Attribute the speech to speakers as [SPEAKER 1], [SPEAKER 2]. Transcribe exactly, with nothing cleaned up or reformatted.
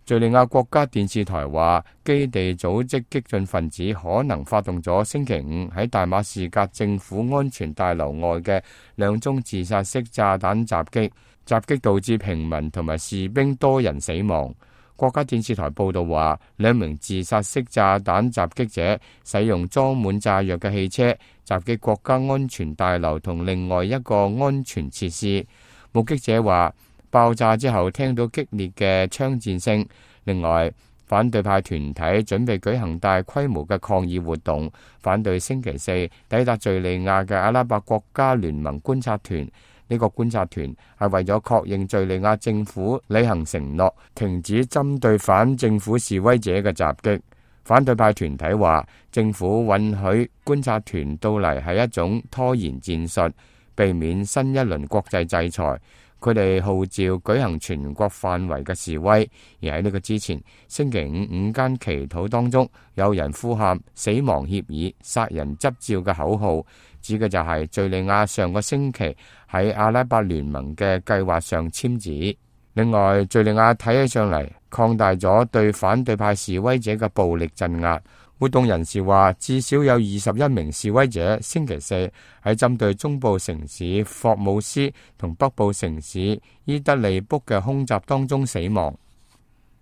[SPEAKER 1] 敘利亞國家電視台話，基地組織激進分子可能發動咗星期五喺大馬士革政府安全大樓外嘅兩宗自殺式炸彈襲擊，襲擊導致平民同埋士兵多人死亡。國家電視台報道話，兩名自殺式炸彈襲擊者使用裝滿炸藥嘅汽車襲擊國家安全大樓同另外一個安全設施。目擊者話，爆炸之後聽到激烈嘅槍戰聲。另外，反對派團體準備舉行大規模嘅抗議活動，反對星期四抵達敘利亞嘅阿拉伯國家聯盟觀察團。呢個觀察團係為咗確認敘利亞政府履行承諾，停止針對反政府示威者嘅襲擊。反對派團體話，政府允許觀察團到嚟係一種拖延戰術，避免新一輪國際制裁。佢哋號召舉行全國範圍嘅示威，而喺呢個之前，星期五午間祈禱當中，有人呼喊死亡協議、殺人執照嘅口號，指嘅就係敘利亞上個星期喺阿拉伯聯盟嘅計劃上簽字。另外，敘利亞睇起上嚟擴大咗對反對派示威者嘅暴力鎮壓。活動人士話，至少有二十一名示威者星期四喺針對中部城市霍姆斯同北部城市伊德利卜嘅空襲當中死亡。